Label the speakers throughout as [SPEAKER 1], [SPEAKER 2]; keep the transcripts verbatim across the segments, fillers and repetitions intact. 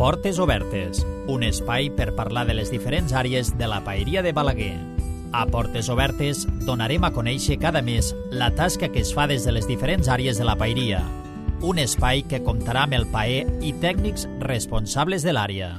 [SPEAKER 1] Portes Obertes, un espai per parlar de les diferents àrees de la paeria de Balaguer. A Portes Obertes donarem a conèixer cada mes la tasca que es fa des de les diferents àrees de la paeria. Un espai que comptarà amb el paer i tècnics responsables de l'àrea.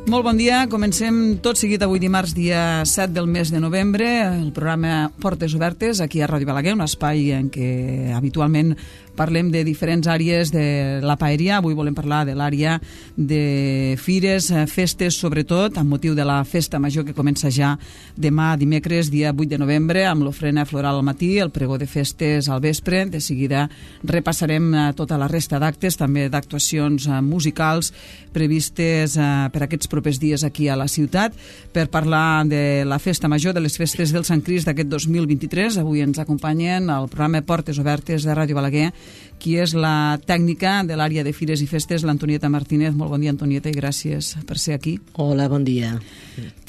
[SPEAKER 2] Molt bon dia, comencem tot seguit avui dimarts, dia set del mes de novembre, el programa Portes Obertes, aquí a Ràdio Balaguer, un espai en què habitualment parlem de diferents àrees de la paeria. Avui volem parlar de l'àrea de fires, festes, sobretot, amb motiu de la festa major que comença ja demà, dimecres, dia vuit de novembre, amb l'ofrena floral al matí, el pregó de festes al vespre. De seguida repassarem tota la resta d'actes, també d'actuacions musicals previstes per aquests propers dies aquí a la ciutat, per parlar de la festa major, de les festes del Sant Crist d'aquest dos mil vint-i-tres. Avui ens acompanyen al programa Portes Obertes de Ràdio Balaguer, qui és la tècnica de l'àrea de fires i festes, l'Antonieta Martínez. Molt bon dia, Antonieta, i gràcies per ser aquí.
[SPEAKER 3] Hola, bon dia.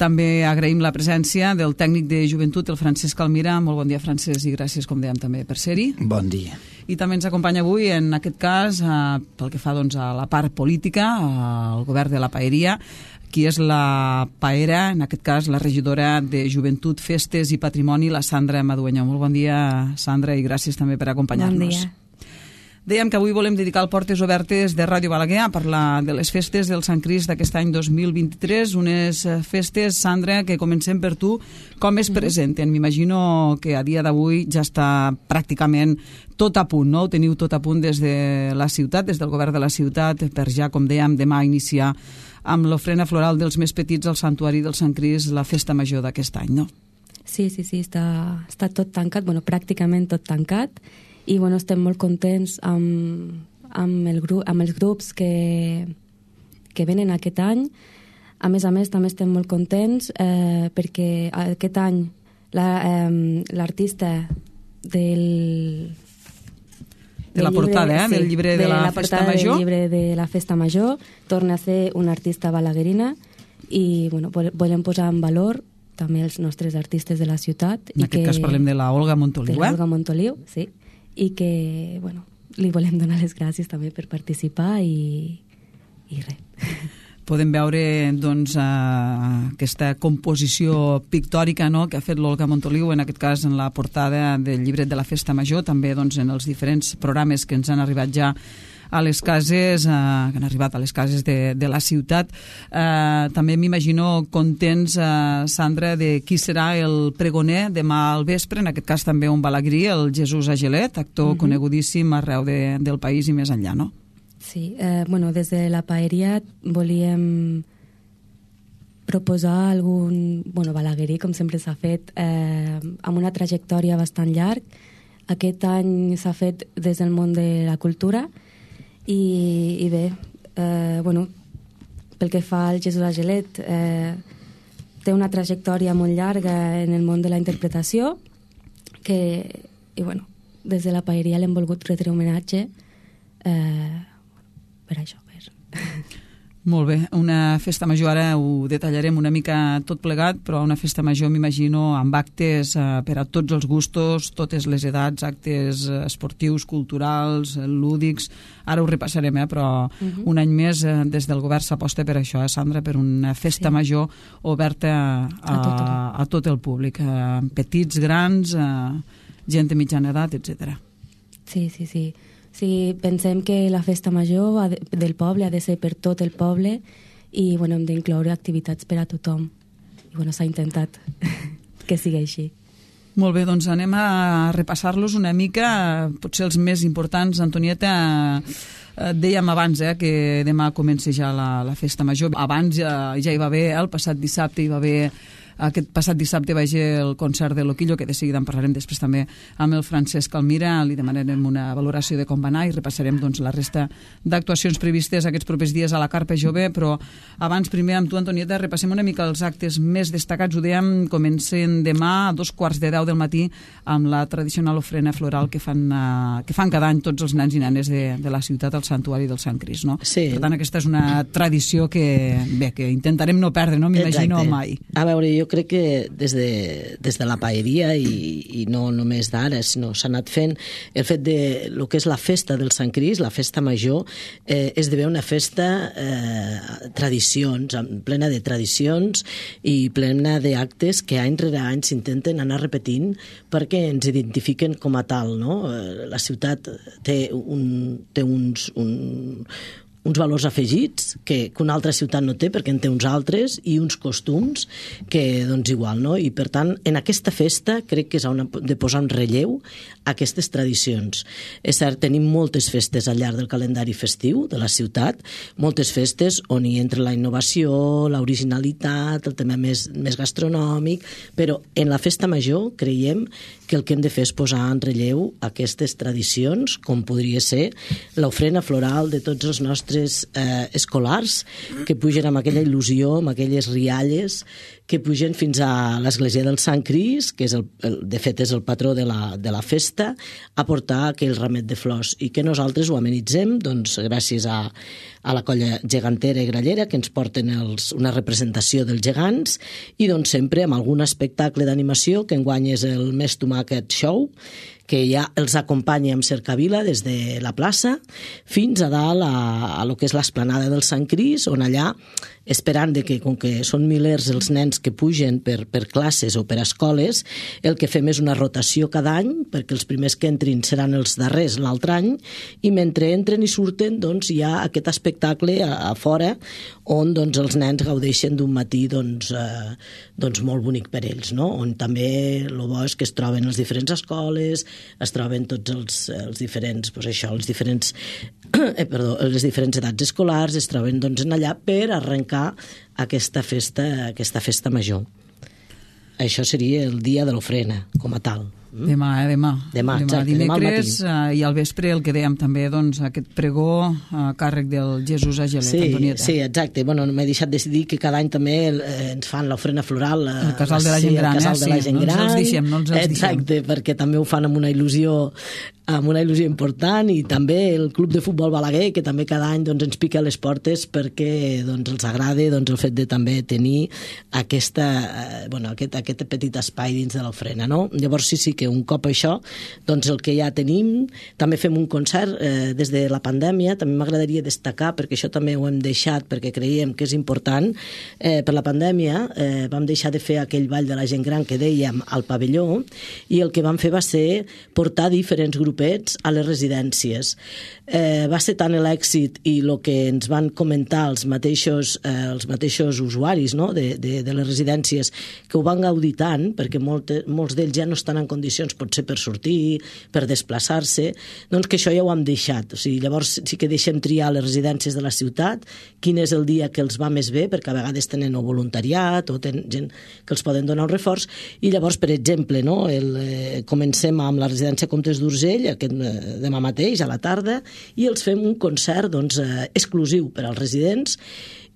[SPEAKER 2] També agraïm la presència del tècnic de joventut, el Francesc Almira. Molt bon dia, Francesc, i gràcies, com dèiem, també per ser-hi.
[SPEAKER 4] Bon dia.
[SPEAKER 2] I també ens acompanya avui, en aquest cas, eh, pel que fa doncs, a la part política, al govern de la paeria, qui és la paera, en aquest cas la regidora de Joventut, Festes i Patrimoni, la Sandra Madueño. Molt bon dia, Sandra, i gràcies també per acompanyar-nos.
[SPEAKER 5] Bon dia.
[SPEAKER 2] Dèiem que avui volem dedicar el Portes Obertes de Ràdio Balaguer a parlar de les festes del Sant Crist d'aquest any dos mil vint-i-tres, unes festes, Sandra, que comencem per tu. Com es presenten? M'imagino que a dia d'avui ja està pràcticament tot a punt, no? Ho teniu tot a punt des de la ciutat, des del govern de la ciutat, per ja, com dèiem, demà iniciar amb l'ofrena floral dels més petits al Santuari del Sant Crist, la festa major d'aquest any, no?
[SPEAKER 5] Sí, sí, sí, està, està tot tancat, bueno, pràcticament tot tancat, i bueno, estem molt contents amb, amb, el gru amb els grups que, que venen aquest any. A més a més, també estem molt contents eh, perquè aquest any l'artista eh, del...
[SPEAKER 2] De la portada,
[SPEAKER 5] llibre,
[SPEAKER 2] eh?
[SPEAKER 5] Sí,
[SPEAKER 2] del llibre de, de la, la Festa Major.
[SPEAKER 5] Del llibre de la Festa Major torna a ser una artista balaguerina i bueno, volem posar en valor també els nostres artistes de la ciutat.
[SPEAKER 2] En
[SPEAKER 5] i
[SPEAKER 2] aquest
[SPEAKER 5] que,
[SPEAKER 2] cas parlem de la Olga Montoliu,
[SPEAKER 5] de la
[SPEAKER 2] eh?
[SPEAKER 5] Olga Montoliu, sí. I que, bueno, li volem donar les gràcies també per participar i, i res.
[SPEAKER 2] Podem veure doncs, uh, aquesta composició pictòrica, no?, que ha fet l'Olga Montoliu, en aquest cas en la portada del llibret de la Festa Major, també doncs, en els diferents programes que ens han arribat ja a les cases, eh, que han arribat a les cases de, de la ciutat. Eh, també m'imagino contents, eh, Sandra, de qui serà el pregoner demà al vespre, en aquest cas també un balagrí, el Jesús Agelet, actor uh-huh. conegudíssim arreu de, del país i més enllà, no?
[SPEAKER 5] Sí, eh, bueno, des de la paeria volíem proposar algun, bueno, balaguerí, com sempre s'ha fet, eh, amb una trajectòria bastant llarg. Aquest any s'ha fet des del món de la cultura i, i bé, eh, bueno, pel que fa al Jesús Agelet, eh, té una trajectòria molt llarga en el món de la interpretació que, i bueno, des de la paeria l'hem volgut retre homenatge eh, per això. Per...
[SPEAKER 2] Molt bé, una festa major, ara ho detallarem una mica tot plegat, però una festa major m'imagino amb actes eh, per a tots els gustos, totes les edats, actes esportius, culturals, lúdics, ara ho repassarem, eh, però uh-huh. un any més eh, des del govern s'aposta per això, eh, Sandra, per una festa sí. major oberta a, a, a tot el públic, eh, petits, grans, eh, gent de mitjana edat, etcètera.
[SPEAKER 5] Sí, sí, sí. Sí, pensem que la festa major ha de, del poble ha de ser per tot el poble i bueno, hem d'incloure activitats per a tothom. I bueno, s'ha intentat que sigui així.
[SPEAKER 2] Molt bé, doncs anem a repassar-los una mica, potser els més importants. Antonieta, eh, dèiem abans eh, que demà comença ja la, la festa major. Abans ja, ja hi va haver, el passat dissabte hi va haver... Aquest passat dissabte va ser el concert de Loquillo, que de seguida en parlarem després també amb el Francesc Almira, li demanarem una valoració de com va anar i repassarem doncs, la resta d'actuacions previstes aquests propers dies a la Carpa Jove, però abans primer amb tu, Antonieta, repassem una mica els actes més destacats. Ho dèiem, comencen demà a dos quarts de deu del matí amb la tradicional ofrena floral que fan, uh, que fan cada any tots els nens i nenes de, de la ciutat al Santuari del Sant Crist, no?
[SPEAKER 3] Sí.
[SPEAKER 2] Per tant, aquesta és una tradició que, bé, que intentarem no perdre, no m'imagino mai.
[SPEAKER 3] A veure, jo crec que des de, des de la paeria i, i no només d'ara, sinó s'ha anat fent el fet de lo que és la festa del Sant Crist, la festa major, eh, esdevé una festa eh, tradicions, plena de tradicions i plena d'actes que any rere any s'intenten anar repetint perquè ens identifiquen com a tal, no? La ciutat té, un, té uns... Un, uns valors afegits que, que una altra ciutat no té perquè en té uns altres i uns costums que doncs igual, no? I per tant en aquesta festa crec que s'ha de posar en relleu aquestes tradicions. És cert, tenim moltes festes al llarg del calendari festiu de la ciutat, moltes festes on hi entra la innovació, l'originalitat, el tema més, més gastronòmic, però en la festa major creiem que el que hem de fer és posar en relleu aquestes tradicions, com podria ser l'ofrena floral de tots els nostres Eh, escolars que pugen amb aquella il·lusió, amb aquelles rialles que pugen fins a l'església del Sant Crist, que és el, el, de fet és el patró de la, de la festa, a portar aquell ramet de flors i que nosaltres ho amenitzem doncs, gràcies a, a la colla gegantera i grallera que ens porten els, una representació dels gegants i doncs sempre amb algun espectacle d'animació que enguany és el Més Tomàquet Show, que ja els acompanya amb cercavila des de la plaça fins a dalt a, a lo que és l'esplanada del Sant Crist, on allà, esperant de que, com que són milers els nens que pugen per, per classes o per escoles, el que fem és una rotació cada any, perquè els primers que entrin seran els darrers l'altre any, i mentre entren i surten, doncs, hi ha aquest espectacle a, a fora, on doncs, els nens gaudeixen d'un matí doncs, eh, doncs, molt bonic per ells, no? On també el bo és que es troben les diferents escoles, es troben tots els, els diferents, doncs això, els diferents, eh, perdó, les diferents edats escolars, es troben doncs, en allà per arrencar aquesta festa, aquesta festa major. Això seria el dia de l'ofrena, com a tal.
[SPEAKER 2] Demà, eh? Demà.
[SPEAKER 3] Demà,
[SPEAKER 2] demà
[SPEAKER 3] exacte,
[SPEAKER 2] dimecres,
[SPEAKER 3] demà al
[SPEAKER 2] matí. I al vespre el que dèiem també, doncs, aquest pregó a càrrec del Jesús Agelet,
[SPEAKER 3] sí,
[SPEAKER 2] Antonieta.
[SPEAKER 3] Sí, exacte. Bueno, m'he deixat de dir que cada any també eh, ens fan l'ofrena floral. Eh,
[SPEAKER 2] el casal de la gent gran,
[SPEAKER 3] el casal
[SPEAKER 2] eh?
[SPEAKER 3] de la gent
[SPEAKER 2] sí,
[SPEAKER 3] gran.
[SPEAKER 2] No ens els deixem, no ens els
[SPEAKER 3] exacte,
[SPEAKER 2] deixem.
[SPEAKER 3] perquè també ho fan amb una il·lusió amb una il·lusió important, i també el Club de Futbol Balaguer, que també cada any doncs, ens pica a les portes perquè doncs, els agrada doncs, el fet de també tenir aquesta, eh, bueno, aquest, aquest petit espai dins de l'ofrena, no? Llavors sí, sí que un cop això, doncs el que ja tenim, també fem un concert eh, des de la pandèmia, també m'agradaria destacar, perquè això també ho hem deixat, perquè creiem que és important, eh, per la pandèmia eh, vam deixar de fer aquell ball de la gent gran que dèiem al pavelló, i el que vam fer va ser portar diferents grupets a les residències. Eh, va ser tant l'èxit i el que ens van comentar els mateixos, eh, els mateixos usuaris, no? de, de, de les residències, que ho van gaudir tant, perquè molt, molts d'ells ja no estan en condicions, potser per sortir, per desplaçar-se, doncs que això ja ho hem deixat. O sigui, llavors sí que deixem triar les residències de la ciutat, quin és el dia que els va més bé, perquè a vegades tenen o voluntariat o tenen gent que els poden donar un reforç, i llavors, per exemple, no? el, eh, comencem amb la residència Comtes d'Urgell, aquest demà mateix, a la tarda, i els fem un concert doncs, eh, exclusiu per als residents,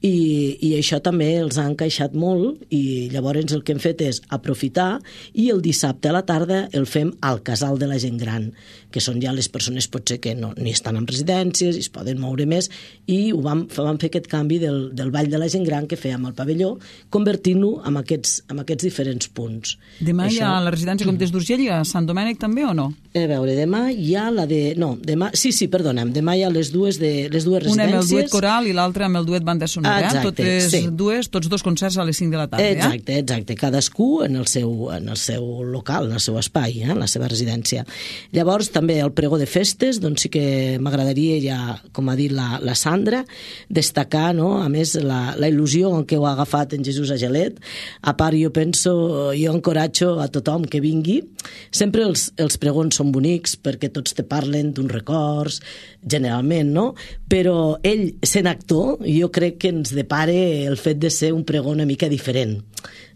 [SPEAKER 3] i, i això també els ha encaixat molt, i llavors el que hem fet és aprofitar, i el dissabte a la tarda el fem al casal de la gent gran, que són ja les persones potser que no, ni estan en residències i es poden moure més, i ho vam, vam fer aquest canvi del, del ball de la gent gran que fèiem al pavelló, convertint-lo en aquests, en aquests diferents punts.
[SPEAKER 2] Demà
[SPEAKER 3] això...
[SPEAKER 2] hi ha la residència Comtes d'Urgell i a Sant Domènec també o no?
[SPEAKER 3] A veure, demà hi ha la de... No, demà... Sí, sí, perdona'm, demà hi ha les dues, de, les dues residències.
[SPEAKER 2] Una amb el duet coral i l'altra amb el duet banda sonora.
[SPEAKER 3] Ah, exacte,
[SPEAKER 2] totes
[SPEAKER 3] sí.
[SPEAKER 2] dues, tots dos concerts a les cinc de la tarda.
[SPEAKER 3] Exacte,
[SPEAKER 2] eh?
[SPEAKER 3] exacte. Cadascú en el, seu, en el seu local, en el seu espai, eh? en la seva residència. Llavors, també el pregó de festes, doncs sí que m'agradaria ja, com ha dit la, la Sandra, destacar, no? A més, la, la il·lusió en què ho ha agafat en Jesús Agelet. A part, jo penso, jo encoratjo a tothom que vingui. Sempre els, els pregons són bonics perquè tots te parlen d'uns records, generalment, no? Però ell, sent actor, jo crec que ens depara el fet de ser un pregó una mica diferent.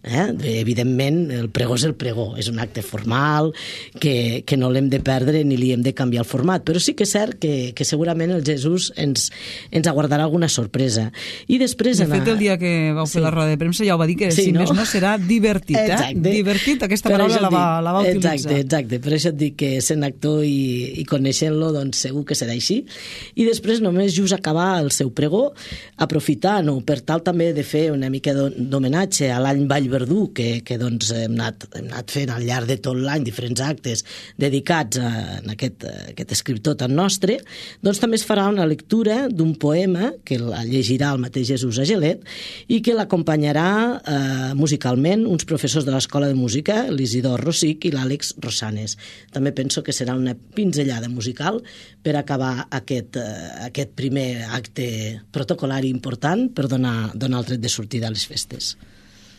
[SPEAKER 3] Eh? Evidentment, el pregó és el pregó, és un acte formal que, que no l'hem de perdre ni li hem de canviar el format, però sí que és cert que, que segurament el Jesús ens, ens aguardarà alguna sorpresa. I després...
[SPEAKER 2] De fet, anar... el dia que vau fer sí. la roda de premsa ja ho va dir que sí, si no? més no serà divertit. Eh?
[SPEAKER 3] Exacte.
[SPEAKER 2] Divertit, aquesta paraula la va, la va utilitzar.
[SPEAKER 3] Exacte, exacte, per això et dic que sent actor i, i coneixent-lo, doncs segur que serà així. I després només just acabar el seu pregó, aprofitar, no, per tal també de fer una mica d'homenatge a l'any Vall Verdú, que, que doncs, hem, anat, hem anat fent al llarg de tot l'any diferents actes dedicats a, a aquest, a aquest escriptor tan nostre, doncs també es farà una lectura d'un poema que la llegirà el mateix Jesús Agelet i que l'acompanyarà eh, musicalment uns professors de l'Escola de Música, l'Isidor Rosic i l'Àlex Rosanes. També penso que serà una pinzellada musical per acabar aquest, eh, aquest primer acte protocolari important per donar, donar el tret de sortida a les festes.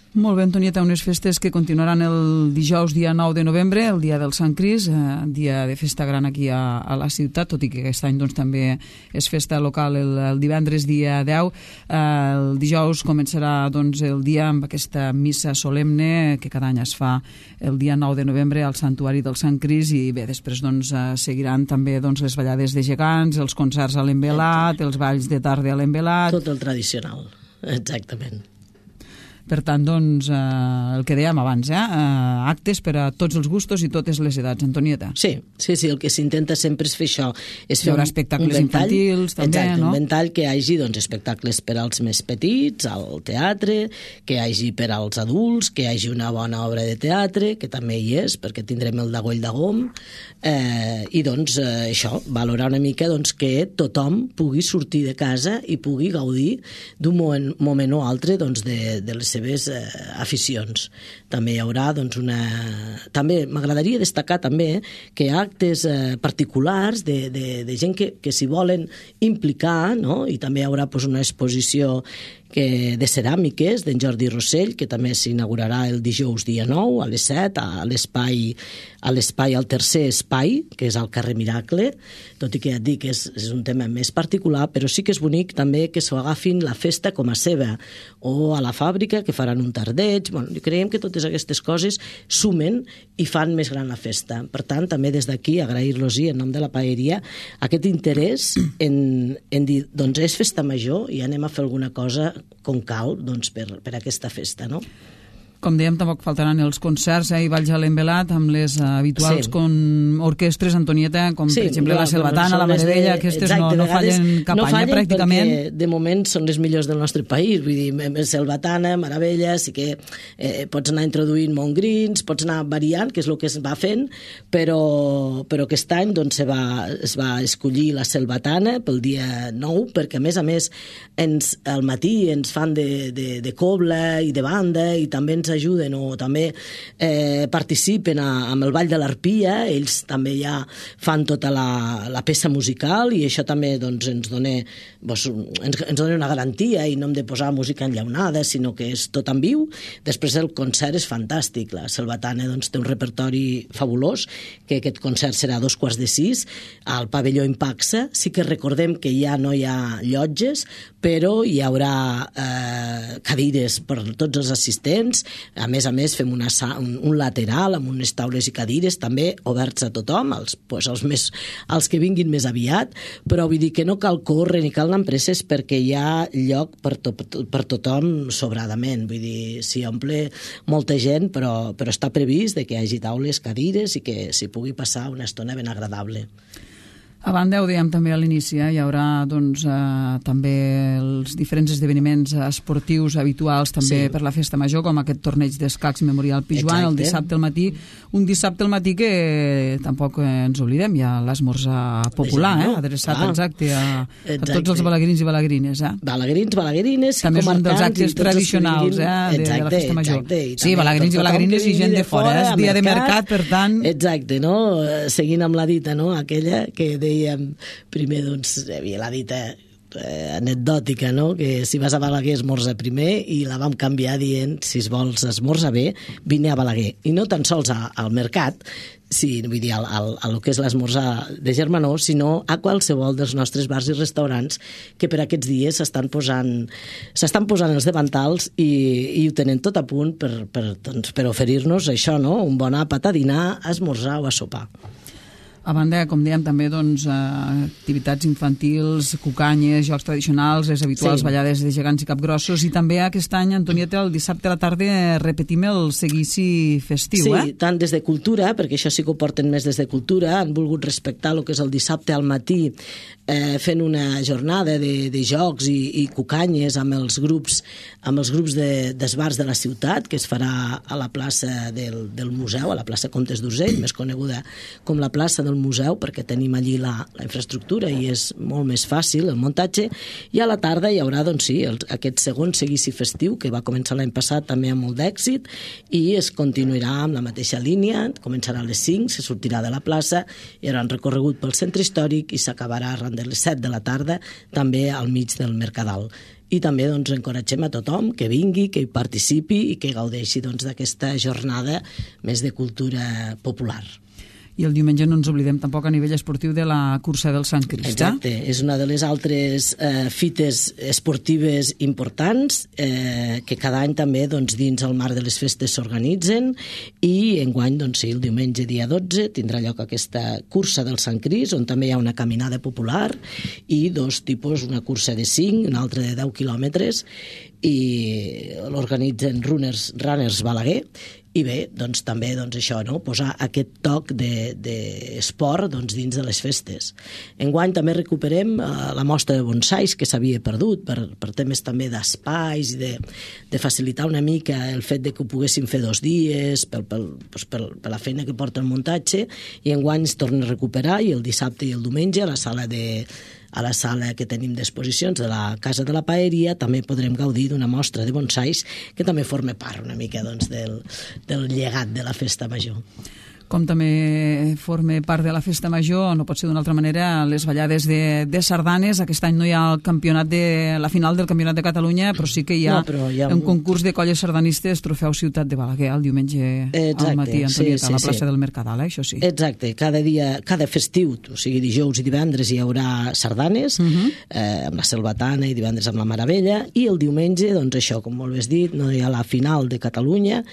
[SPEAKER 2] Molt bé, Antonieta, unes festes que continuaran el dijous dia nou de novembre, el dia del Sant Cris, eh, dia de festa gran aquí a, a la ciutat, tot i que aquest any doncs, també és festa local el, el divendres dia deu. Eh, el dijous començarà doncs, el dia amb aquesta missa solemne que cada any es fa el dia nou de novembre al Santuari del Sant Cris i bé, després doncs, eh, seguiran també doncs, les ballades de gegants, els concerts a l'Envelat, els balls de tarda a l'Envelat.
[SPEAKER 3] Tot el tradicional, exactament.
[SPEAKER 2] Per tant, doncs, eh, el que dèiem abans, eh, eh, actes per a tots els gustos i totes les edats. Antonieta.
[SPEAKER 3] Sí, sí, sí, el que s'intenta sempre és fer això. És fer
[SPEAKER 2] hi haurà
[SPEAKER 3] un,
[SPEAKER 2] espectacles
[SPEAKER 3] un ventall,
[SPEAKER 2] infantils, també,
[SPEAKER 3] exacte,
[SPEAKER 2] no?
[SPEAKER 3] Un ventall que hi hagi doncs, espectacles per als més petits, al teatre, que hi hagi per als adults, que hi hagi una bona obra de teatre, que també hi és, perquè tindrem el Dagoll de Gom, eh, i doncs eh, això, valorar una mica doncs, que tothom pugui sortir de casa i pugui gaudir d'un moment, moment o altre doncs, de, de les seves eh, aficions. També hi haurà doncs, una... També m'agradaria destacar també que hi ha actes eh, particulars de, de, de gent que, que s'hi volen implicar, no? I també hi haurà doncs, una exposició que de ceràmiques d'en Jordi Rossell, que també s'inaugurarà el dijous dia nou a les set a l'espai a l'espai al tercer espai, que és al carrer Miracle, tot i que ja et dic que és, és un tema més particular, però sí que és bonic també que s'ho agafin la festa com a seva, o a la fàbrica, que faran un tardeig. Bueno, creiem que totes aquestes coses sumen i fan més gran la festa. Per tant, també des d'aquí agrair-los-hi en nom de la paeria aquest interès en, en dir, doncs és festa major i anem a fer alguna cosa com cal doncs, per, per aquesta festa, no?
[SPEAKER 2] Com dèiem, tampoc faltaran els concerts eh, i balls a l'Envelat amb les uh, habituals
[SPEAKER 3] sí.
[SPEAKER 2] con orquestres, Antonieta, com
[SPEAKER 3] sí,
[SPEAKER 2] per exemple
[SPEAKER 3] no,
[SPEAKER 2] la Selvatana, la Maravella, aquestes
[SPEAKER 3] exacte,
[SPEAKER 2] no, no fallen cap
[SPEAKER 3] no
[SPEAKER 2] any,
[SPEAKER 3] fallen
[SPEAKER 2] pràcticament.
[SPEAKER 3] Perquè de moment són les millors del nostre país, vull dir, Selvatana, Maravella, sí que eh, pots anar introduint Montgrins, pots anar variant, que és el que es va fent, però, però aquest any doncs, se va, es va escollir la Selvatana pel dia nou, perquè a més a més ens, al matí ens fan de, de, de cobla i de banda i també ens ajuden o també eh, participen a, amb el Ball de l'Arpia, ells també ja fan tota la, la peça musical i això també doncs, ens, dona, doncs, ens, ens dona una garantia i no hem de posar música enllaunada, sinó que és tot en viu. Després el concert és fantàstic, la Selvatana doncs, té un repertori fabulós, que aquest concert serà a dos quarts de sis al pavelló Impaxa. Sí que recordem que ja no hi ha llotges, però hi haurà eh, cadires per tots els assistents. A més a més fem una, un, un lateral amb unes taules i cadires també oberts a tothom, els, pues, els, més, els que vinguin més aviat, però vull dir que no cal córrer ni cal anar amb presses perquè hi ha lloc per, to, per tothom sobradament, vull dir, s'hi omple molta gent, però, però està previst de que hi hagi taules, cadires i que s'hi pugui passar una estona ben agradable.
[SPEAKER 2] A banda, ho dèiem també a l'inici, eh? Hi haurà doncs, eh, també els diferents esdeveniments esportius habituals també sí. per la festa major, com aquest torneig d'escacs Memorial Pijuan el dissabte al matí. Un dissabte al matí que tampoc eh, ens oblidem, hi ha l'esmorzar popular, eh? adreçat ah, exacte, a, exacte a tots els balaguerins i balagrines. Eh?
[SPEAKER 3] Balagrins, balagrines,
[SPEAKER 2] també és un dels actes tradicionals eh? de, exacte, de la festa major. Exacte, sí, balagrins i balagrines i gent de fora, eh? És dia mercat, de mercat, per tant...
[SPEAKER 3] Exacte, no? Seguint amb la dita, no? Aquella que dèiem primer, doncs, hi havia la dita eh, anecdòtica, no? Que si vas a Balaguer esmorza primer, i la vam canviar dient, si es vols esmorza bé, vine a Balaguer. I no tan sols a, al mercat, sí, vull dir, al, al, a lo que és l'esmorzar de Germanó, sinó a qualsevol dels nostres bars i restaurants que per aquests dies s'estan posant s'estan posant els davantals i, i ho tenen tot a punt per, per, doncs, per oferir-nos això, no? Un bon àpat a dinar, a esmorzar o a sopar.
[SPEAKER 2] A banda, com dèiem, també doncs, activitats infantils, cucanyes, jocs tradicionals, les habituals sí. ballades de gegants i capgrossos, i també aquest any, Antonieta, el dissabte a la tarda repetim el seguici festiu,
[SPEAKER 3] sí,
[SPEAKER 2] eh?
[SPEAKER 3] Sí, tant des de Cultura, perquè això sí que ho porten més des de Cultura, han volgut respectar el que és el dissabte al matí, eh, fent una jornada de, de jocs i, i cucanyes amb els grups, amb els grups de, d'esbars de la ciutat, que es farà a la plaça del, del museu, a la plaça Comtes d'Urgell, més coneguda com la plaça del museu, perquè tenim allí la, la infraestructura i és molt més fàcil el muntatge, i a la tarda hi haurà, doncs sí, el, aquest segon seguici festiu, que va començar l'any passat també amb molt d'èxit, i es continuarà amb la mateixa línia, començarà a les cinc, se sortirà de la plaça, hi haurà un recorregut pel centre històric i s'acabarà arran de les set de la tarda, també al mig del Mercadal. I també doncs, encoratgem a tothom que vingui, que hi participi i que gaudeixi doncs, d'aquesta jornada més de cultura popular.
[SPEAKER 2] I el diumenge no ens oblidem tampoc a nivell esportiu de la cursa del Sant Crist.
[SPEAKER 3] Exacte, és una de les altres eh, fites esportives importants eh, que cada any també doncs, dins el marc de les festes s'organitzen, i enguany, doncs sí, el diumenge dia dotze tindrà lloc aquesta cursa del Sant Crist, on també hi ha una caminada popular i dos tipus, una cursa de cinc, una altra de deu quilòmetres, i l'organitzen Runners, Runners Balaguer. I bé, doncs també doncs això, no? Posar aquest toc d'esport de, doncs, dins de les festes. Enguany també recuperem eh, la mostra de bonsais que s'havia perdut per, per temes també d'espais i de, de facilitar una mica el fet de que ho poguéssim fer dos dies per, per, doncs per, per la feina que porta el muntatge, i enguany es torna a recuperar, i el dissabte i el diumenge a la sala de a la sala que tenim d'exposicions de la Casa de la Paeria també podrem gaudir d'una mostra de bonsais que també forma part una mica doncs, del, del llegat de la festa major.
[SPEAKER 2] Com també forma part de la festa major, no pot ser d'una altra manera, les ballades de, de sardanes. Aquest any no hi ha el campionat de, la final del Campionat de Catalunya, però sí que hi ha, no, hi ha un concurs de colles sardanistes, Trofeu Ciutat de Balaguer, el diumenge Exacte, al matí, Antonieta, sí, sí, a la plaça sí. del Mercadal, eh? Això sí.
[SPEAKER 3] Exacte, cada dia, cada festiu, o sigui, dijous i divendres hi haurà sardanes, uh-huh. eh, amb la Selvatana, i divendres amb la Maravella, i el diumenge, doncs això, com molt bé has dit, no hi ha la final de Catalunya.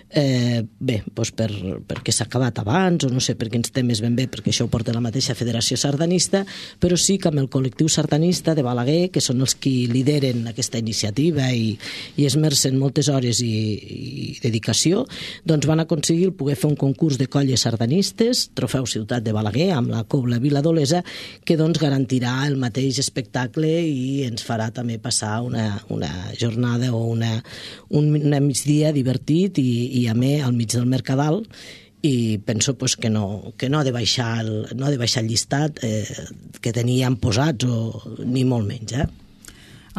[SPEAKER 3] Eh, bé, doncs per, perquè s'ha acabat abans, o no sé per quins temes ben bé, perquè això ho porta la mateixa Federació Sardanista, però sí que amb el col·lectiu sardanista de Balaguer, que són els qui lideren aquesta iniciativa i, i esmercen moltes hores i, i dedicació, doncs van aconseguir poder fer un concurs de colles sardanistes, Trofeu Ciutat de Balaguer, amb la Cobla Vila d'Olesa, que doncs garantirà el mateix espectacle i ens farà també passar una, una jornada o una, un, una migdia divertit i, i a més al mig del Mercadal, i penso pues, que, no, que no ha de baixar el, no ha de baixar el llistat eh, que teníem posats, o ni molt menys, eh?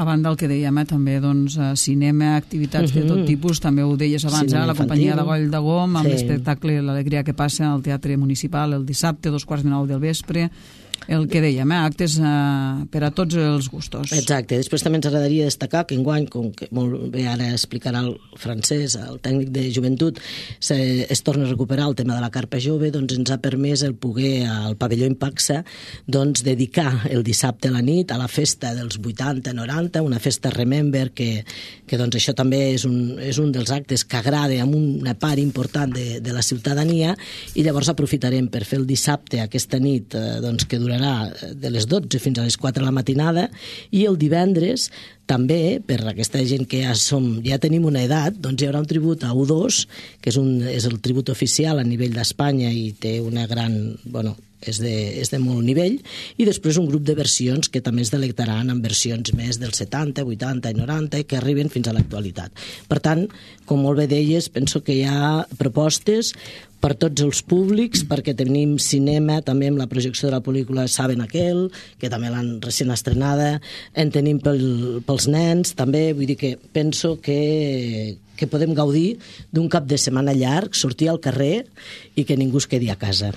[SPEAKER 2] A banda del que dèiem, eh, també doncs, cinema, activitats uh-huh. de tot tipus, també ho deies abans, eh, la companyia de Goll de Gom, amb sí. l'espectacle L'Alegria que passa al Teatre Municipal el dissabte, dos quarts de nou del vespre, el que dèiem, eh, actes eh, per a tots els gustos.
[SPEAKER 3] Exacte. Després també ens agradaria destacar que enguany, com que molt bé ara explicarà el francès, el tècnic de joventut, se, es torna a recuperar el tema de la carpa jove, doncs ens ha permès el poder al pavelló Impaxa doncs, dedicar el dissabte a la nit a la festa dels vuitanta noranta, una festa Remember, que, que doncs, això també és un, és un dels actes que agrada amb una part important de, de la ciutadania, i llavors aprofitarem per fer el dissabte aquesta nit eh, doncs, que durarà de les dotze fins a les quatre de la matinada, i el divendres també, per aquesta gent que ja, som, ja tenim una edat, doncs hi haurà un tribut a U dos, que és, un, és el tribut oficial a nivell d'Espanya i té una gran... Bueno, és de, és de molt nivell, i després un grup de versions que també es delectaran amb versions més dels setanta, vuitanta i noranta que arriben fins a l'actualitat. Per tant, com molt bé deies, penso que hi ha propostes per tots els públics, perquè tenim cinema també amb la projecció de la pel·lícula Saben Aquel, que també l'han recent estrenada, en tenim pel, pels nens també, vull dir que penso que, que podem gaudir d'un cap de setmana llarg, sortir al carrer i que ningú es quedi a casa.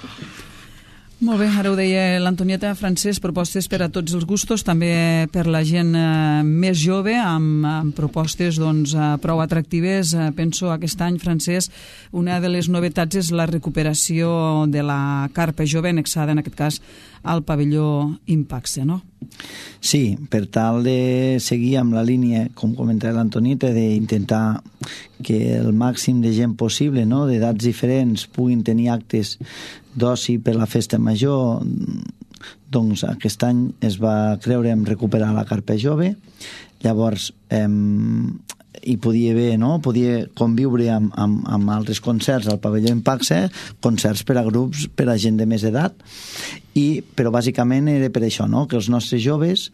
[SPEAKER 2] Molt bé, ara ho deia l'Antonieta, Francesc, propostes per a tots els gustos, també per la gent eh, més jove, amb, amb propostes doncs, eh, prou atractives. Eh, penso aquest any, Francesc, una de les novetats és la recuperació de la carpa jove, annexada en aquest cas al pavelló Impaxe, no?
[SPEAKER 4] Sí, per tal de seguir amb la línia, com comentava l'Antonieta, d'intentar que el màxim de gent possible, no?, d'edats diferents, puguin tenir actes d'oci per la festa major, doncs aquest any es va creure en recuperar la carpa jove. Llavors eh, hi podia haver, no? Podia conviure amb, amb, amb altres concerts al pavelló Impaxe, concerts per a grups, per a gent de més edat, i, però bàsicament era per això, no? Que els nostres joves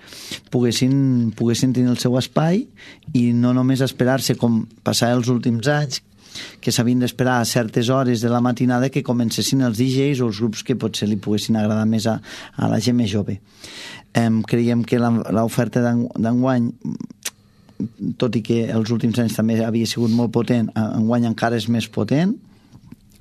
[SPEAKER 4] poguessin, poguessin tenir el seu espai i no només esperar-se com passava els últims anys, que s'havien d'esperar a certes hores de la matinada que comencessin els D Js o els grups que potser li poguessin agradar més a, a la gent més jove. Eh, creiem que l'oferta d'enguany, tot i que els últims anys també havia sigut molt potent, enguany encara és més potent.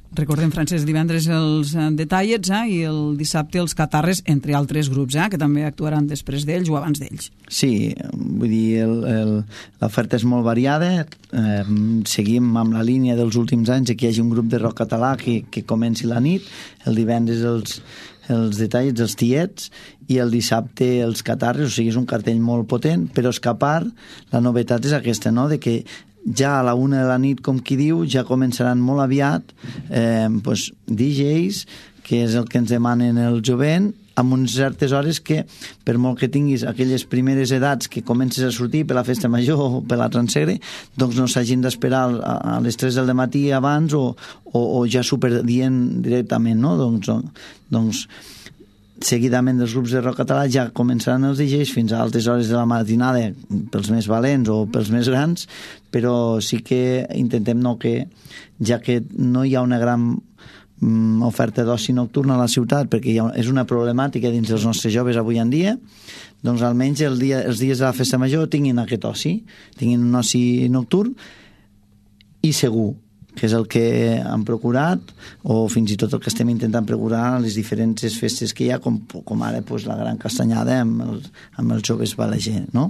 [SPEAKER 2] Recordem, Francesc, divendres els Detallets eh, i el dissabte els Catarres, entre altres grups, eh, que també actuaran després d'ells o abans d'ells.
[SPEAKER 4] Sí, vull dir, l'oferta és molt variada. Eh, seguim amb la línia dels últims anys que hi hagi un grup de rock català que, que comenci la nit, el divendres els, els Detallets, els Tiets, i el dissabte els Catarres, o sigui, és un cartell molt potent, però és que a part la novetat és aquesta, no?, de que ja a la una de la nit, com qui diu, ja començaran molt aviat eh, pues, D Js, que és el que ens demanen el jovent, amb unes certes hores que, per molt que tinguis aquelles primeres edats que comences a sortir per la festa major o per la transegre, doncs no s'hagin d'esperar a, a les tres del matí abans o, o, o ja superdient directament, no? Doncs, doncs seguidament dels grups de rock català ja començaran els D Js fins a altes hores de la matinada pels més valents o pels més grans, però sí que intentem no que, ja que no hi ha una gran mm, oferta d'oci nocturna a la ciutat, perquè hi ha, és una problemàtica dins dels nostres joves avui en dia, doncs almenys el dia, els dies de la festa major tinguin aquest oci, tinguin un oci nocturn i segur, que és el que han procurat, o fins i tot el que estem intentant procurar a les diferents festes que hi ha, com, com ara pues, la Gran Castanyada amb els, amb els joves Balaguer, no?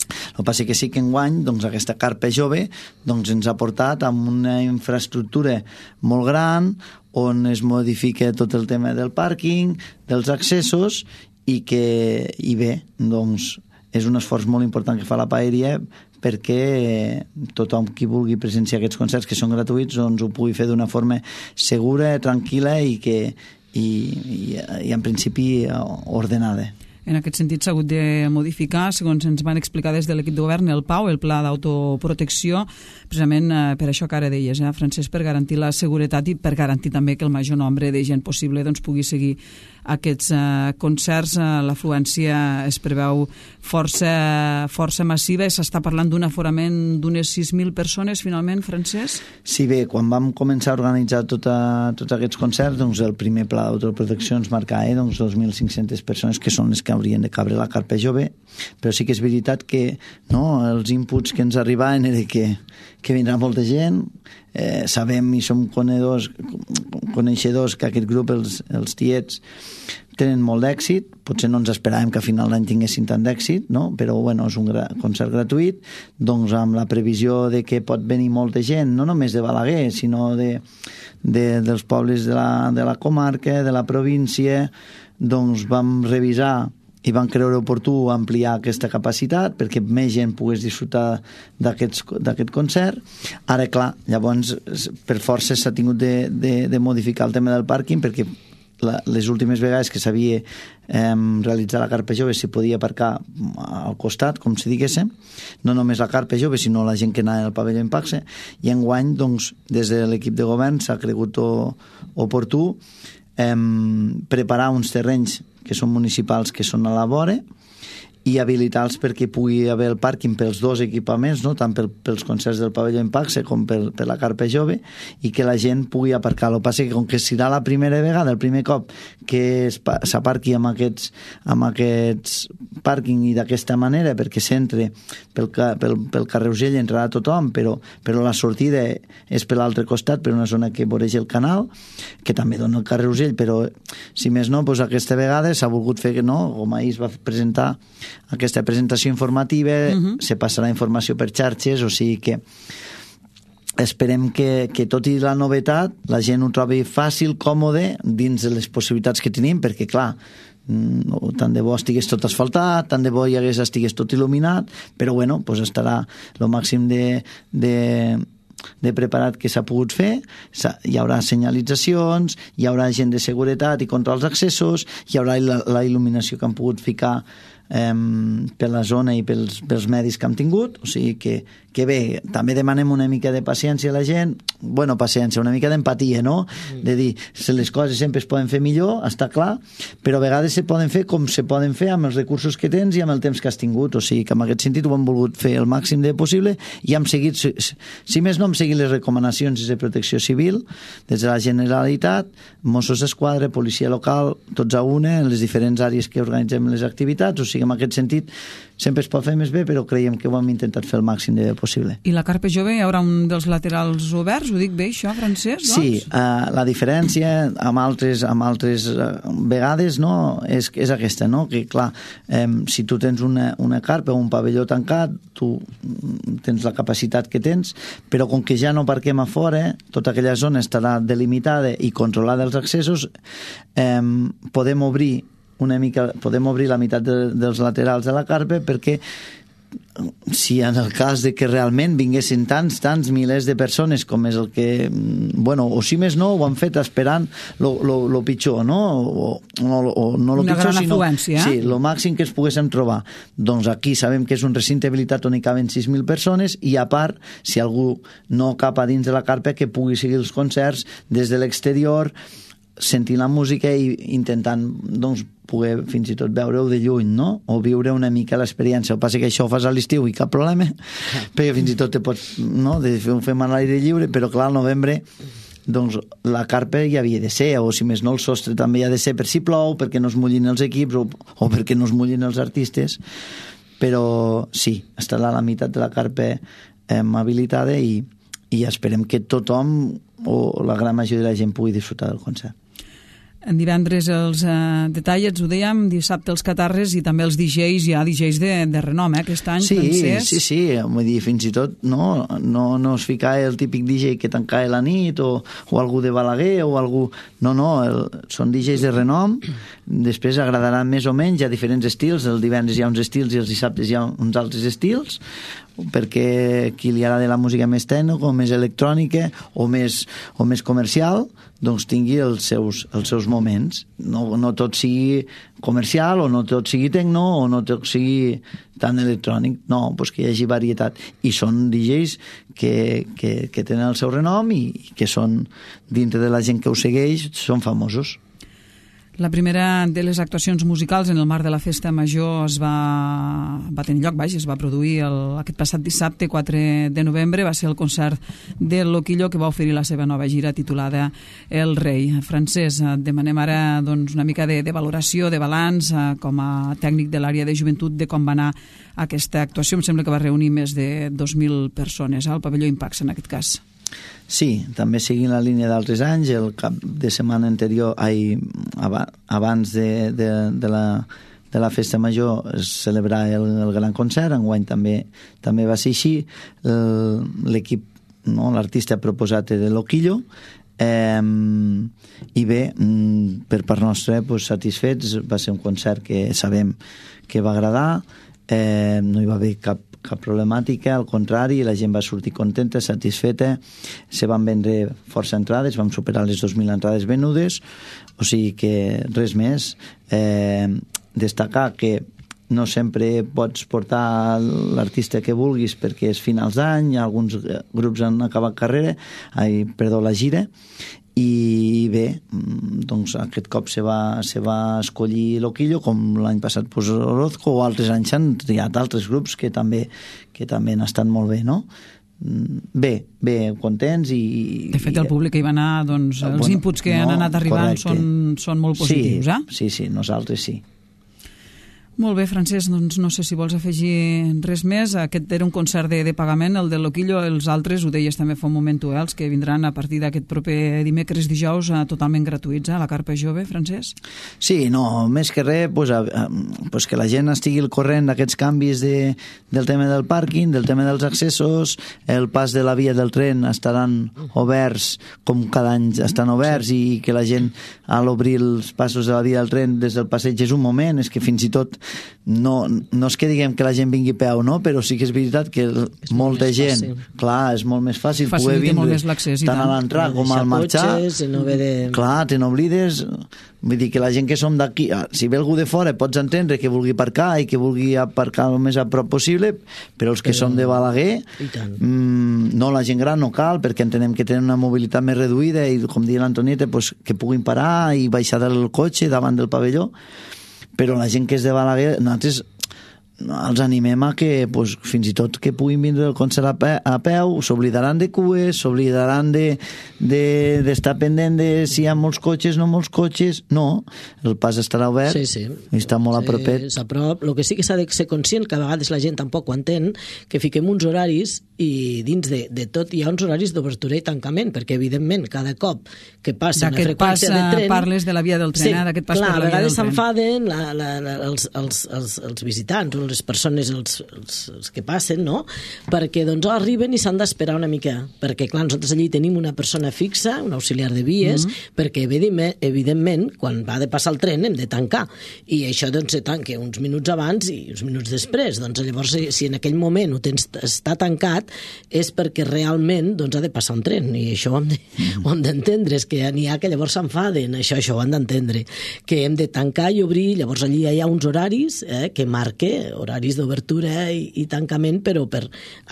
[SPEAKER 4] El que passa que sí que enguany doncs, aquesta carpa jove doncs, ens ha portat amb una infraestructura molt gran on es modifica tot el tema del pàrquing, dels accessos, i que, i bé, doncs, és un esforç molt important que fa la paeria perquè tothom qui vulgui presenciar aquests concerts que són gratuïts doncs ho pugui fer d'una forma segura, tranquil·la i que i, i, i en principi ordenada.
[SPEAKER 2] En aquest sentit s'ha hagut de modificar, segons ens van explicar des de l'equip de govern, el PAU, el Pla d'Autoprotecció, precisament per això que ara deies, eh, Francesc, per garantir la seguretat i per garantir també que el major nombre de gent possible doncs, pugui seguir aquests eh, concerts. Eh, l'afluència es preveu força, força massiva i s'està parlant d'un aforament d'unes sis mil persones, finalment, Francesc?
[SPEAKER 4] Sí, bé, quan vam començar a organitzar tota, tots aquests concerts, doncs el primer Pla d'Autoprotecció ens marcava eh, doncs, dos mil cinc-centes persones, que són les que haurien de cabre la carpa jove, però sí que és veritat que no, els inputs que ens arribaven era que, que vindrà molta gent, eh, sabem i som coneixedors, coneixedors que aquest grup, els, els Tiets, tenen molt d'èxit, potser no ens esperàvem que a final d'any tinguessin tant d'èxit, no? Però bueno, és un gra concert gratuït, doncs amb la previsió de que pot venir molta gent, no només de Balaguer, sinó de, de, dels pobles de la, de la comarca, de la província, doncs vam revisar i van creure oportú ampliar aquesta capacitat perquè més gent pogués disfrutar d'aquest concert. Ara, clar, llavors per força s'ha tingut de, de, de modificar el tema del pàrquing perquè la, les últimes vegades que s'havia eh, realitzat la carpa jove s'hi podia aparcar al costat, com si diguéssim, no només la carpa jove sinó la gent que anava al pavelló Impaxe, i enguany doncs, des de l'equip de govern s'ha cregut oportú eh, preparar uns terrenys que són municipals, que són a la vora, i habilitar-los perquè pugui haver el pàrquing pels dos equipaments, no? Tant pel, pels concerts del pavelló Impaxe com per, per la carpa jove, i que la gent pugui aparcar. El que passa que com que serà la primera vegada, el primer cop que s'aparqui amb aquests, amb aquests pàrquing i d'aquesta manera, perquè s'entre pel, pel, pel carrer Urgell, entrarà tothom, però, però la sortida és per l'altre costat, per una zona que voreja el canal, que també dona el carrer Urgell, però si més no, doncs aquesta vegada s'ha volgut fer que no, com ahir es va presentar aquesta presentació informativa, uh-huh. se passarà informació per xarxes, o sigui que esperem que, que tot i la novetat la gent ho trobi fàcil, còmode, dins de les possibilitats que tenim, perquè clar, no, tant de bo estigués tot asfaltat, tant de bo hi hagués, estigués tot il·luminat, però bueno, pues estarà el màxim de, de de preparat que s'ha pogut fer, hi haurà senyalitzacions, hi haurà gent de seguretat i controls d'accessos, hi haurà la, la il·luminació que han pogut ficar eh, per la zona i pels, pels medis que hem tingut, o sigui que, que bé, també demanem una mica de paciència a la gent, bueno, paciència, una mica d'empatia, no? De dir, les coses sempre es poden fer millor, està clar, però a vegades se poden fer com se poden fer amb els recursos que tens i amb el temps que has tingut, o sigui que en aquest sentit ho hem volgut fer el màxim de possible i hem seguit, si, si més no hem seguit les recomanacions de protecció civil des de la Generalitat, Mossos d'Esquadra, policia local, tots a una, en les diferents àrees que organitzem les activitats, o sigui en aquest sentit sempre es pot fer més bé, però creiem que ho hem intentat fer el màxim de bé possible.
[SPEAKER 2] I la carpa jove hi haurà un dels laterals oberts, ho dic bé això, Francesc? Doncs?
[SPEAKER 4] Sí, uh, la diferència amb altres, amb altres uh, vegades no, és, és aquesta, no? Que clar, um, si tu tens una, una carpa o un pavelló tancat, tu tens la capacitat que tens, però com que ja no parquem a fora, tota aquella zona estarà delimitada i controlada els accessos, um, podem obrir una mica, podem obrir la meitat de, dels laterals de la carpa perquè si en el cas de que realment vinguessin tants, tants milers de persones com és el que, bueno, o si més no ho han fet esperant lo, lo, lo pitjor, no? O, o, o no lo
[SPEAKER 2] una
[SPEAKER 4] pitjor,
[SPEAKER 2] gran
[SPEAKER 4] sinó
[SPEAKER 2] afluència.
[SPEAKER 4] Sí, lo màxim que es poguéssim trobar. Doncs aquí sabem que és un recinte habilitat on hi caben sis mil persones i a part, si algú no cap a dins de la carpa, que pugui seguir els concerts des de l'exterior, sentint la música i intentant doncs, poder fins i tot veure-ho de lluny, no? O viure una mica l'experiència. El que passa que això ho fas a l'estiu i cap problema, perquè fins i tot te pots, no?, de fer un fem a l'aire lliure, però clar, al novembre doncs la carpa hi havia de ser, o si més no el sostre també hi ha de ser per si plou, perquè no es mullin els equips o, o perquè no es mullin els artistes, però sí, estarà la meitat de la carpa eh, habilitada i, i esperem que tothom o la gran majoria de la gent pugui disfrutar del concert.
[SPEAKER 2] En divendres els eh, detallets, ho dèiem, dissabte els catarres i també els D Js, hi ha D Js de, de renom, eh, aquest any,
[SPEAKER 4] sí,
[SPEAKER 2] Francesc.
[SPEAKER 4] Sí, sí, vull dir, fins i tot no, no, no es fica el típic D J que tancava la nit o, o algú de Balaguer o algú... No, no, el, són D Js de renom, després agradaran més o menys, hi ha diferents estils, el divendres hi ha uns estils i els dissabtes hi ha uns altres estils, perquè qui li agrada la música més tècnica o més electrònica o més, o més comercial, doncs tingui els seus, els seus moments. No, no tot sigui comercial o no tot sigui tecno o no tot sigui tan electrònic. No, doncs que hi hagi varietat. I són D Js que, que, que tenen el seu renom i que són, dintre de la gent que ho segueix, són famosos.
[SPEAKER 2] La primera de les actuacions musicals en el marc de la Festa Major es va, va tenir lloc, vaja, es va produir el, aquest passat dissabte, quatre de novembre, va ser el concert del Loquillo que va oferir la seva nova gira titulada El Rei. Francesc, demanem ara doncs, una mica de, de valoració, de balanç, com a tècnic de l'àrea de joventut, de com va anar aquesta actuació. Em sembla que va reunir més de dos mil persones, al pavelló Impax en aquest cas.
[SPEAKER 4] Sí, també seguint la línia d'altres anys, el cap de setmana anterior, ai, abans de, de, de, la, de la Festa Major, es celebrar el, el gran concert, enguany també, també va ser així. L'equip, no, l'artista proposat de Loquillo, eh, i bé, per part nostra, pues, satisfets, va ser un concert que sabem que va agradar, eh, no hi va haver cap cap problemàtica, al contrari, la gent va sortir contenta, satisfeta, se van vendre força entrades, vam superar les dos mil entrades venudes, o sigui que res més. Eh, destacar que no sempre pots portar l'artista que vulguis perquè és finals d'any, alguns grups han acabat carrera, ai, perdó, la gira, i bé, doncs aquest cop se va, se va escollir Loquillo, com l'any passat pues, Orozco, o altres anys han triat altres grups que també, que també han estat molt bé, no? Bé, bé, contents i...
[SPEAKER 2] De fet, el públic que hi va anar, doncs, els bueno, inputs que no, han anat arribant són, són molt positius,
[SPEAKER 4] sí,
[SPEAKER 2] eh?
[SPEAKER 4] Sí, sí, nosaltres sí.
[SPEAKER 2] Molt bé, Francesc, doncs no sé si vols afegir res més. Aquest era un concert de, de pagament, el de Loquillo, els altres, ho deies també fa un moment tu, eh, els que vindran a partir d'aquest proper dimecres, dijous, eh, totalment gratuïts, eh, la Carpa Jove, Francesc?
[SPEAKER 4] Sí, no, més que res, pues, a, a, pues que la gent estigui al corrent d'aquests canvis de, del tema del pàrquing, del tema dels accessos, el pas de la via del tren estaran oberts, com cada any estan oberts, i que la gent, a l'obrir els passos de la via del tren des del passeig és un moment, és que fins i tot no, no és que diguem que la gent vingui a peu, no? Però sí que és veritat que és molta gent, fàcil. Clar, és molt més fàcil poder vindre tant, tant a l'entrar com al marxar.
[SPEAKER 3] No de...
[SPEAKER 4] Clar, te n'oblides. Vull dir que la gent que som d'aquí, si ve algú de fora pots entendre que vulgui aparcar i que vulgui aparcar el més a prop possible, però els que però... som de Balaguer, mmm, no, la gent gran no cal, perquè entenem que tenen una mobilitat més reduïda i, com diu l'Antonieta, pues, que puguin parar i baixar del cotxe davant del pavelló. Però la gent que és de Balaguer, nosaltres els animem a que pues, fins i tot que puguin vindre el concert a, pe a peu, s'oblidaran de cues, s'oblidaran d'estar de, de, pendent de si hi ha molts cotxes, no molts cotxes, no, el pas estarà obert,
[SPEAKER 3] sí, sí.
[SPEAKER 4] I està molt
[SPEAKER 3] sí,
[SPEAKER 4] a propet.
[SPEAKER 3] A prop. El que sí que s'ha de ser conscient, que a vegades la gent tampoc ho entén, que fiquem uns horaris i dins de, de tot hi ha uns horaris d'obertura i tancament, perquè evidentment cada cop que passa una freqüència de tren...
[SPEAKER 2] parles de la via del tren,
[SPEAKER 3] sí,
[SPEAKER 2] d'aquest pas
[SPEAKER 3] clar,
[SPEAKER 2] per la via del tren.
[SPEAKER 3] A vegades s'enfaden la, la, la, els, els, els, els visitants, les persones, els, els, els que passen, no? Perquè doncs arriben i s'han d'esperar una mica, perquè clar, nosaltres allí tenim una persona fixa, un auxiliar de vies, mm -hmm. perquè evidentment, evidentment, quan va de passar el tren hem de tancar, i això doncs se tanca uns minuts abans i uns minuts després, doncs llavors si en aquell moment ho tens, està tancat és perquè realment doncs, ha de passar un tren, i això ho hem d'entendre, és que n'hi ha que llavors s'enfaden, això, això ho han d'entendre, que hem de tancar i obrir, llavors allí hi ha uns horaris eh, que marque, horaris d'obertura i, i tancament, però per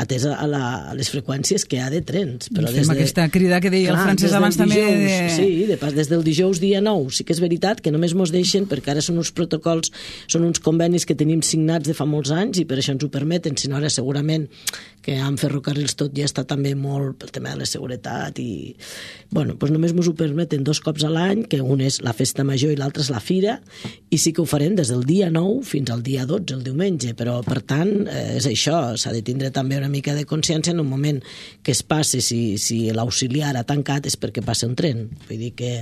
[SPEAKER 3] atès a, la, a les freqüències que hi ha de trens. Però
[SPEAKER 2] des de, aquesta crida que deia clar, el Francesc abans també... De...
[SPEAKER 3] Sí, de pas, des del dijous dia nou, sí que és veritat que només mos deixen, perquè ara són uns protocols, són uns convenis que tenim signats de fa molts anys i per això ens ho permeten, si no ara segurament que amb ferrocarrils tot ja està també molt pel tema de la seguretat i, bueno, doncs només mos ho permeten dos cops a l'any, que un és la festa major i l'altre és la fira, i sí que ho farem des del dia nou fins al dia dotze, el diumenge, però per tant eh, és això, s'ha de tindre també una mica de consciència en un moment que es passi, si, si l'auxiliar ha tancat és perquè passa un tren, vull dir que,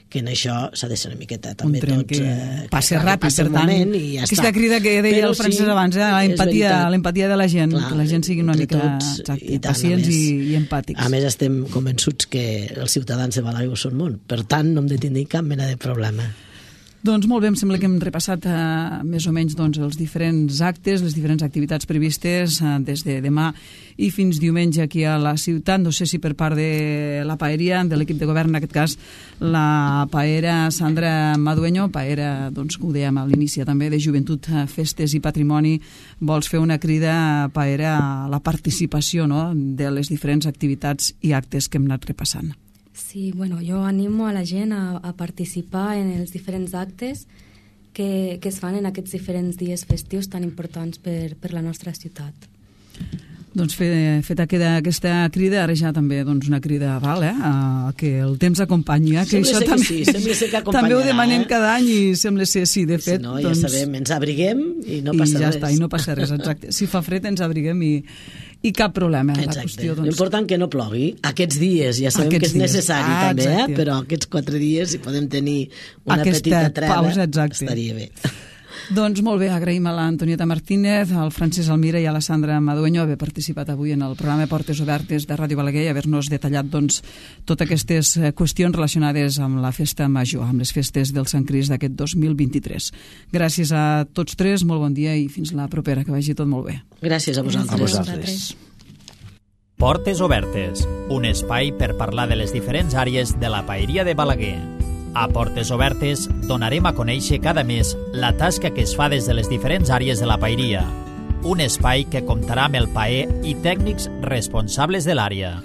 [SPEAKER 3] que en això s'ha de ser una miqueta també
[SPEAKER 2] un tren
[SPEAKER 3] tots,
[SPEAKER 2] que
[SPEAKER 3] eh,
[SPEAKER 2] passi que ràpid, per tant,
[SPEAKER 3] i ja
[SPEAKER 2] aquesta
[SPEAKER 3] està.
[SPEAKER 2] crida que deia però el Francesc sí, abans, eh, l'empatia l'empatia de la gent, clar, que la gent sigui una mica
[SPEAKER 3] tots,
[SPEAKER 2] exacte,
[SPEAKER 3] i tant,
[SPEAKER 2] pacients
[SPEAKER 3] més,
[SPEAKER 2] i, i empàtics.
[SPEAKER 3] A més estem convençuts que els ciutadans de Balaguer són molt, per tant no hem de tenir cap mena de problema.
[SPEAKER 2] Doncs molt bé, em sembla que hem repassat eh, més o menys doncs, els diferents actes, les diferents activitats previstes eh, des de demà i fins diumenge aquí a la ciutat. No sé si per part de la paeria, de l'equip de govern, en aquest cas la paera Sandra Madueño, paera, doncs, que ho dèiem a l'inici també, de Joventut, Festes i Patrimoni, vols fer una crida, paera, a la participació, no?, de les diferents activitats i actes que hem anat repassant.
[SPEAKER 5] Sí, bueno, jo animo a la gent a, a participar en els diferents actes que, que es fan en aquests diferents dies festius tan importants per, per la nostra ciutat.
[SPEAKER 2] Doncs fe, feta queda aquesta crida, ara ja també doncs, una crida val, eh, a que el temps acompanyi, eh, que
[SPEAKER 3] sembla
[SPEAKER 2] això
[SPEAKER 3] que
[SPEAKER 2] també,
[SPEAKER 3] sí, sembla ser que
[SPEAKER 2] també ho demanem
[SPEAKER 3] eh?
[SPEAKER 2] cada any i sembla ser sí, de fet.
[SPEAKER 3] Si no,
[SPEAKER 2] doncs,
[SPEAKER 3] ja sabem, ens abriguem i no passa
[SPEAKER 2] i ja
[SPEAKER 3] res.
[SPEAKER 2] Està, i no passa res, exacte. Si fa fred ens abriguem i, i cap problema.
[SPEAKER 3] Exacte.
[SPEAKER 2] La qüestió, doncs...
[SPEAKER 3] L'important que no plogui aquests dies, ja sabem aquests que és dies. necessari ah, també, eh? Però aquests quatre dies si podem tenir una
[SPEAKER 2] aquesta
[SPEAKER 3] petita treva,
[SPEAKER 2] pausa, exacte.
[SPEAKER 3] Estaria bé.
[SPEAKER 2] Doncs molt bé, agraïm a l'Antonieta Martínez, al Francesc Almira i a la Sandra Madueño haver participat avui en el programa Portes Obertes de Ràdio Balaguer i haver-nos detallat doncs, totes aquestes qüestions relacionades amb la festa major, amb les festes del Sant Crist d'aquest dos mil vint-i-tres. Gràcies a tots tres, molt bon dia i fins la propera, que vagi tot molt bé.
[SPEAKER 3] Gràcies a vosaltres.
[SPEAKER 1] A vosaltres. Portes Obertes, un espai per parlar de les diferents àrees de la paeria de Balaguer. A Portes Obertes donarem a conèixer cada mes la tasca que es fa des de les diferents àrees de la paeria. Un espai que comptarà amb el paer i tècnics responsables de l'àrea.